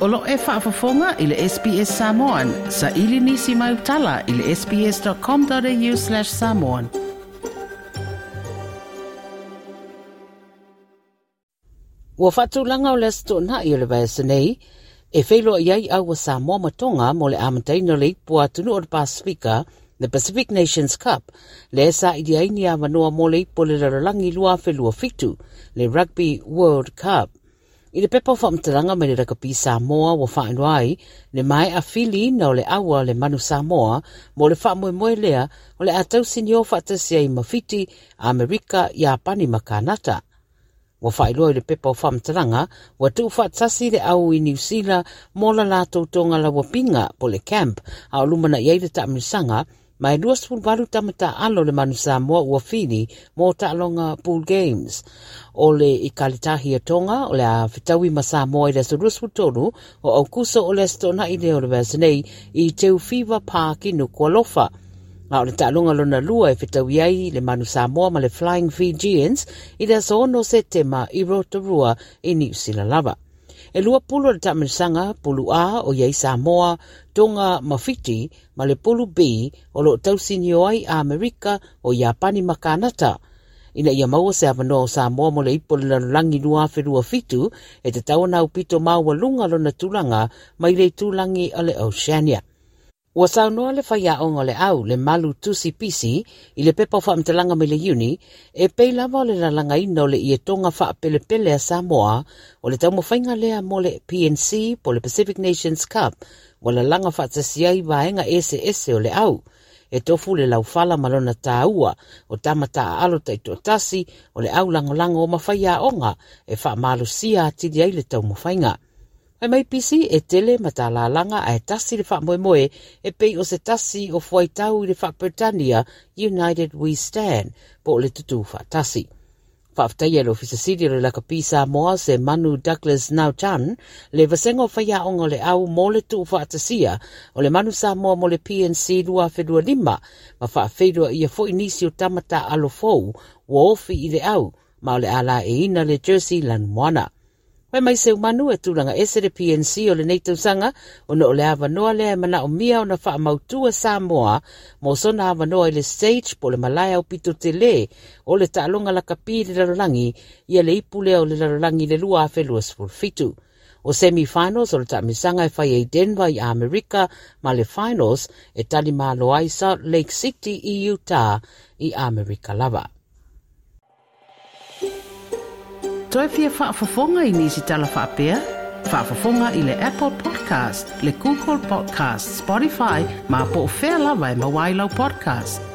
O lo o e faafofoga i le SBS Samoan. Saili nisi mau tala i le sbs.com.au/samoan. Ua faatulaga o le Aso Toonai o le vaiaso nei e feiloai ai au a Samoa ma Tonga mo le amataina o le Ipu a Atunuu o le Pasefika, the Pacific Nations Cup, lea e saili ai ni avanoa mo le Ipu o le Lalolagi 2027, le Rugby World Cup. I le pepa o faamatalaga mai le Lakapi Samoa ua faailoa ai le maea filiina o le aua le Manu Samoa mo le faamoemoe lea o le a tausinio faatasi ai ma Fiti, Amerika, Iapani ma Kanata. Ua faailoa i le pepa o faamatalaga ua tuufaatasi le au i Niu Sila mo la latou togalauapiga po le camp a o lumanai ai le taamilosaga ma e 28 tama taaalo le Manu Samoa ua fili mo taaloga Pool Games. O le Ikalitahi a Tonga o le a fetaui ma Samoa i le aso 23 o Aukuso o le Aso Toonai lea o le vaiaso nei i Teufiva Park i Nukualofa. A o le taaloga lona lua e fetaui ai le Manu Samoa ma le Flying Fijians i le aso 6 Setema i Rotorua i Niu Sila lava. E lua pulu o le taamilosaga, pulu A o i ai Samoa, Tonga ma Fiti, ma le pulu B o lo o tausinio ai Amerika o Iapani ma Kanata. Ina ia maua se avanoa o Samoa mo le Ipu o le Lalolagi 2027, e tatau ona aupito maualuga lona tulaga mai le itulagi o le Oceania. Ua saunoa le faiaoga o le au, le Malu Tusi Pisi, i le pepa o faamatalaga mai le Iuni, e pei lava o le lalagaina o le ietoga faapelepele a Samoa o le taumafaiga lea mo le PNC po o le Pacific Nations Cup ua lalaga faatasi ai vaega eseese o le au. E tofu le laufala ma lona taua o tama taaalo taitoatasi o le au lagolago ma faiaoga e faamalosia atili ai le taumafaiga. Fai mai Pisi e tele matalalaga ae tasi le faamoemoe e pei o se tasi o fuaitau i le faa-Peretania United We Stand po o le tutū faatasi. Faafetaia e le Ofisa Sili o le Lakapi Samoa se Manu Douglas Nauchan le vasega o faiaoga o le au mo le tuufaatasia o le Manu Samoa mo le PNC 2025 ma faafeiloaia foi nisi o tama taaalo fou ua ofi i le au ma o le a laeiina le jersey lanumoana. Fai mai Seumanu e tulaga ese le PNC o lenei tausaga ona o le avanoa lea e manaomia ona faamautu e Samoa mo sona avanoa i le stage po o le malae aupito tele o le taaloga lakapi i le lalolagi ia le ipu lea o le lalolagi i le 2027. O semi-finals o le taamilosaga e fai ai Denver i Amerika ma le finals e talimalo ai Salt Lake City i Utah i Amerika lava. Toe fia faafofoga i nisi tala faapea? Faafofoga i le Apple Podcast, le Google Podcast, Spotify ma po o fea lava e maua ai lau podcast.